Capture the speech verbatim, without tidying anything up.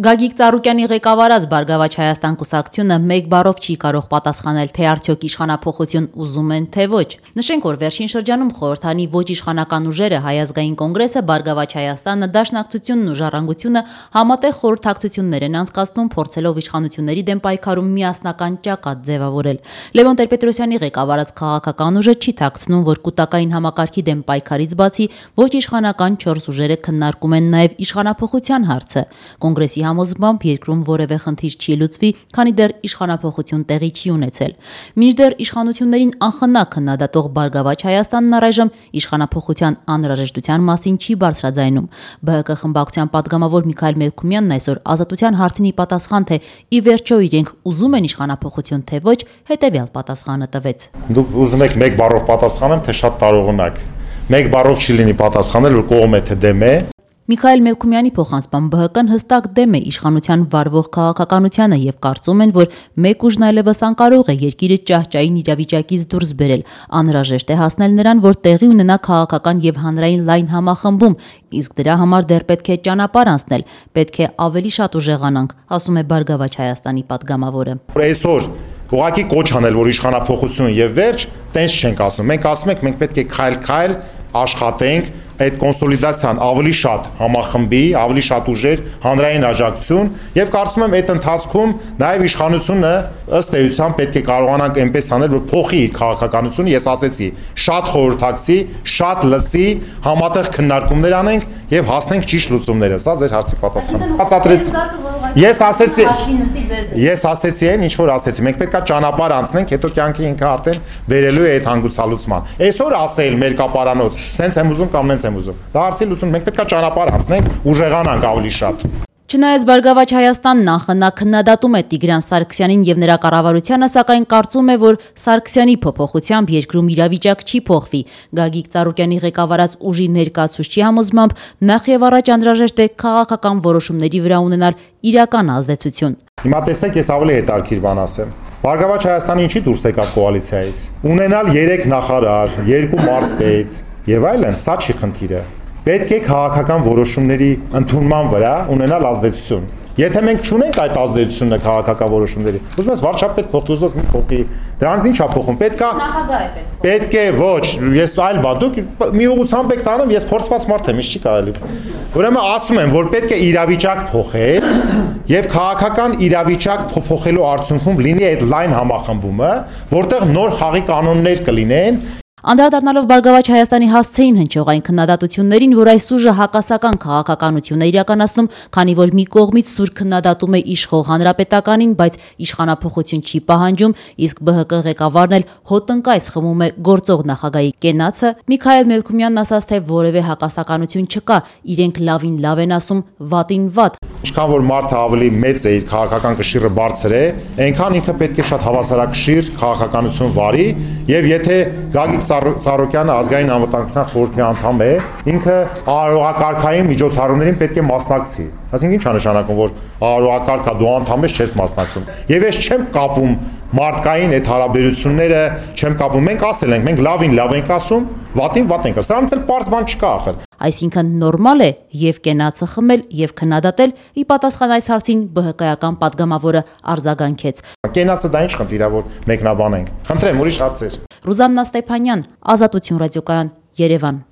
Գագիկ Ծառուկյանի ղեկավարած Բարգավաճ Հայաստան կուսակցությունը մեկ բառով չի կարող պատասխանել, թե արդյոք իշխանափոխություն ուզում են, թե ոչ։ Նշենք, որ վերջին շրջանում խորհրդանի ոչ իշխանական ուժերը Հայ ազգային կոնգրեսը, Բարգավաճ Հայաստանը, Դաշնակցությունն ու Ժառանգությունը համատեղ խորհրդակցություններ են անցկացնում, փորձելով իշխանությունների դեմ պայքարում միասնական ճակատ ձևավորել։ Լևոն Տեր-Պետրոսյանի ղեկավարած քաղաքական ուժը չի թաքցնում, որ կուտակային համակարգի դեմ պայքարից բացի ոչ իշխանական չորս ուժերը քննարկում են նաև իշխանափոխության հարցը։ Կոնգրեսի համոզմամբ երկրում որևէ խնդիր չի լուծվի, քանի դեռ իշխանափոխություն տեղի չի ունեցել։ Մինչդեռ իշխանություններին անխնա քննադատող Բարգավաճ Հայաստանն առայժմ իշխանափոխության անհրաժեշտության մասին չի բարձրաձայնում։ Բ Հ Կ խմբակցության պատգամավոր Միքայել Մելքումյանն այսօր Ազատության հարցին ի պատասխան, թե ի վերջո իրենք ուզում են իշխանափոխություն, թե ոչ, հետևյալ պատասխանը տվեց։ Դուք ուզում եք մեկ բառով պատասխանեմ, թե շատ տարողունակ։ Մեկ բառով չի լինի պատասխանել, որ կողմ է թե դեմ է։ Միքայել Մելքումյանի փոխանցմամբ Բ Հ Կ-ն հստակ դեմ է իշխանության վարվող քաղաքականությանը եւ կարծում են, որ մեկ ուժն այլևս անկարող է երկիրը ճահճային իրավիճակից դուրս բերել։ Անհրաժեշտ է հասնել նրան, որ տեղի ունենա քաղաքական եւ հանրային լայն համախմբում, իսկ դրա համար դեռ պետք է ճանապարհ անցնել, պետք է ավելի շատ ուժեղանանք, ասում է Բարգավաճ Հայաստանի պատգամավորը։ Այսօր ուղղակի կոչ անել, որ իշխանափոխություն եւ վերջ, տենց չենք ասում։ Մենք ասում ենք, մենք պետք է քայլ-քայլ աշխատենք, այդ կոնսոլիդացիան ավելի շատ համախմբի, ավելի շատ ուժեր, հանրային աջակցություն եւ կարծում եմ այդ ընթացքում նաեւ իշխանությունը ըստ էության պետք է կարողանանք այնպես անել, որ փոխի իր քաղաքականությունը, ես ասեցի, շատ խորհրդակցի, շատ լսի, համատեղ քննարկումներ անենք եւ հասնենք ճիշտ լուծումները։ Սա ձեր հարցի պատասխանն է։ Բացատրեց։ Ես ասեցի, ես ասեցի այն, ինչ որ ասեցի, մենք պետքա ճանապարհ անցնենք, հետո կյանքի ինքը արդեն վերելու է այդ հանգուցալուծման։ Այսօր ասել մեր կապարանոց, սենց եմ ուզում կամ նենց եմ ուզում։ Դա հարցի լուծում, մենք պետքա ճանապարհ անցնենք, ուժեղանանք ավելի շատ։ Չնայած Բարգավաճ Հայաստանն անխնա քննադատում է Տիգրան Սարգսյանին եւ նրա կառավարությանը, սակայն կարծում է, որ Սարգսյանի փոփոխությամբ երկրում իրավիճակ չի փոխվի։ Գագիկ Ծառուկյանի ղեկավարած ուժի ներկայացուցչի համոզմամբ նախ եւ առաջ անհրաժեշտ է քաղաքական որոշումների վրա ունենալ իրական ազդեցություն։ Հիմա տեսեք, ես ավելի հետաքրքիր բան ասեմ։ Բարգավաճ Հայաստանը ինչի դուրս եկավ կոալիցիայից։ Ունենալ երեք նախարար, երկու մարզպետ եւ այլն, սա չի խնդիրը։ Պետք է քաղաքական որոշումների ընդունման վրա ունենալ ազդեցություն։ Եթե մենք չունենք այդ ազդեցությունը քաղաքական որոշումների, ուզում ես վարչապետ փոխի, ուզում ես փոխի, դրանից ի՞նչ է փոխում։ Պետք է նախագահ է պետք։ Պետք է ոչ, ես այլ բան, դուք մի ուղղությամբ եք տանում, ես փորձված մարդ եմ, ինչ չի կարելի։ Ուրեմն ասում եմ, որ պետք է իրավիճակ փոխել եւ քաղաքական իրավիճակ փոխելու արդյունքում լինի այդ լայն համախմբումը, որտեղ նոր խաղի կանոններ կլինեն։ Անդրադառնալով Բարգավաճ Հայաստանի հասցեին հնչող այն քննադատություններին, որ այս ուժը հակասական քաղաքականություն է իրականացնում, քանի որ մի կողմից սուր քննադատում է իշխող հանրապետականին, բայց իշխանափոխություն չի պահանջում, իսկ Բ Հ Կ ղեկավարն էլ հոտնկայս խմում է գործող նախագահի կենացը, Միքայել Մելքումյանն ասաց, թե որևէ հակասականություն չկա, իրենք լավին լավ են ասում, վատին վատ։ Ինչքան որ մարդը ավելի մեծ է, իր քաղաքական կշիռը բարձր է, այնքան ինքը պետք է շատ հավասարակշիռ քաղաքականություն վարի, եւ եթե Գագիկ Ծառուկյանը ազգային անվտանգության խորհրդի անդամ է, ինքը արարողակարգային միջոցառումներին պետք է մասնակցի։ Այսինքն ի՞նչ է նշանակում, որ արարողակարգա դու անդամ ես, չես մասնակցում։ Եվ ես չեմ կապում մարդկային այդ հարաբերությունները, չեմ կապում։ Մենք ասել ենք, մենք լավին լավ ենք ասում, վատին վատ ենք ասում։ Սրանից էլ պարզ բան չկա ախր։ Այսինքն նորմալ է եւ կենացը խմել եւ քննադատել, ի պատասխան այս հարցին Բ Հ Կ-ական պատգամավորը արձագանքեց։ Կենացը դա ինչ խնդիր է, որ մեկնաբանենք։ Խնդրեմ, ուրիշ հարցեր։ Ռուզաննա Ստեփանյան, Ազատություն ռադիոկայան, Երևան։